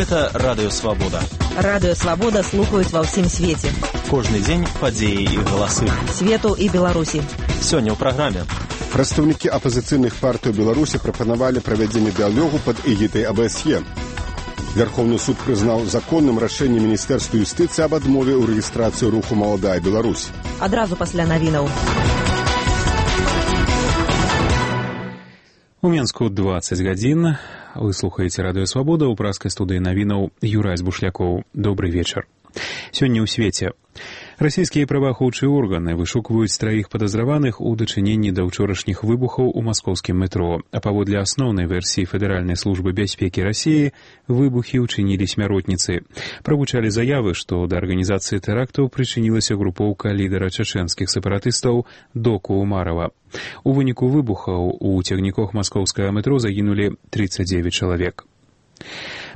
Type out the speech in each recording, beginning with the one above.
Гэта Радыё Свабода. Радыё Свабода слухаюць ва ўсім свеце. Кожны дзень падзеі і галасы. Свету і Беларусі. Сёння ў праграме. Прадстаўнікі апазіцыйных партый у Беларусі прапанавалі правядзенне дыялогу пад эгідай АБСЕ. Верховны суд прызнаў законным рашэнне Міністэрства юстыцыі аб адмове ў рэгістрацыі руху «Маладая Беларусь». Адразу пасля навінаў. У Менску 20 гадзін. Вы слухаеце Радыё Свабода, у праскай студыі навінаў Юрай Збушлякоў. Добрый вечар. Сёння ў свеце. Расійскія праваахоўчыя органы вышукваюць траіх падазраваных у дачыненні да ўчорашніх выбухаў у маскоўскім метро. А паводле асноўнай версіі Федэральнай службы бяспекі Расіі, выбухі ўчынілі смяротніцы. Прагучалі заявы, што да арганізацыі тэрактаў прычынілася групоўка лідара чачэнскіх сепаратыстаў Доку Умарова. У выніку выбухаў у цягніках маскоўскага метро загінулі 39 чалавек.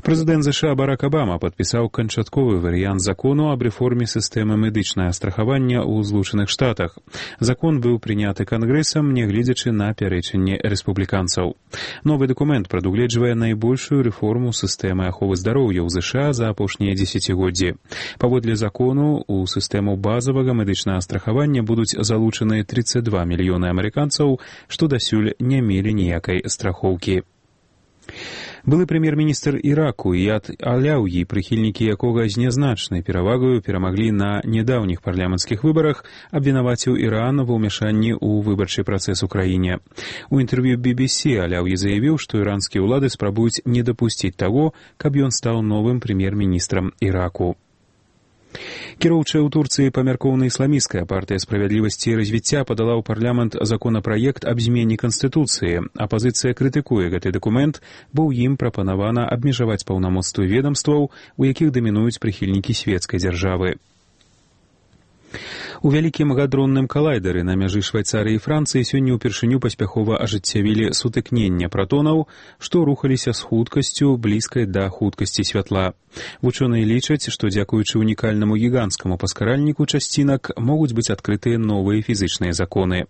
Прэзідэнт США Барак Абама падпісаў канчатковы варыянт закону аб рэформе сістэмы медычнага страхавання ў Злучаных Штатах. Закон быў прыняты Кангрэсам, нягледзячы на пярэчанне рэспубліканцаў. Новы дакумент прадугледжвае найбольшую рэформу сістэмы аховы здароўя ў США за апошнія дзесяцігоддзі. Паводле закону, у сістэму базавага медычнага страхавання будуць залучаны 32 мільёны амерыканцаў, што дасюль не мелі ніякай страхоўкі. Былы прэм'ер-міністр Іраку Ияд Аляўі, прыхільнікі якога з нязначнай перавагаю перамаглі на нядаўніх парламенцкіх выбарах, абвінаваціў Іран ва ўмяшанні ў выбарчы працэс у краіне. У інтэрв'ю BBC Аляўі заявіў, што іранскія ўлады спрабуюць не дапусціць таго, каб ён стаў новым прэм'ер-міністрам Іраку. Кіроўчая ў Турцыі памяркоўна ісламісцкая партыя справядлівасці і развіцця падала ў парламент законапраект аб змене канстытуцыі. Апазіцыя крытыкуе гэты дакумент, бо ў ім прапанавана абмежаваць паўнамоцтвы ведамстваў, у якіх дамінуюць прыхільнікі свецкай дзяржавы. У вялікім гадронным калайдары на мяжы Швайцарыі і Францыі сёння ўпершыню паспяхова ажыццявілі сутыкнення пратонаў, што рухаліся з хуткасцю блізкай да хуткасці святла. Вучоныя лічаць, што дзякуючы унікальнаму гіганцкаму паскаральніку часцінак могуць быць адкрытыя новыя фізычныя законы.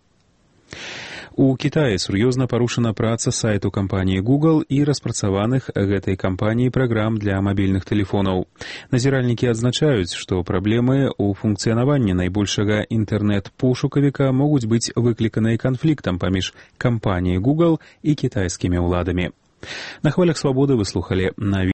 У Кітаі сур'ёзна парушана праца сайту кампаніі Google і распрацаваных гэтай кампаніяй праграм для мабільных тэлефонаў. Назіральнікі адзначаюць, што праблемы ў функцыянаванні найбольшага інтэрнэт-пошукавіка могуць быць выкліканыя канфліктам паміж кампаніяй Google і кітайскімі ўладамі. На хвалях Свабоды вы слухалі навіны.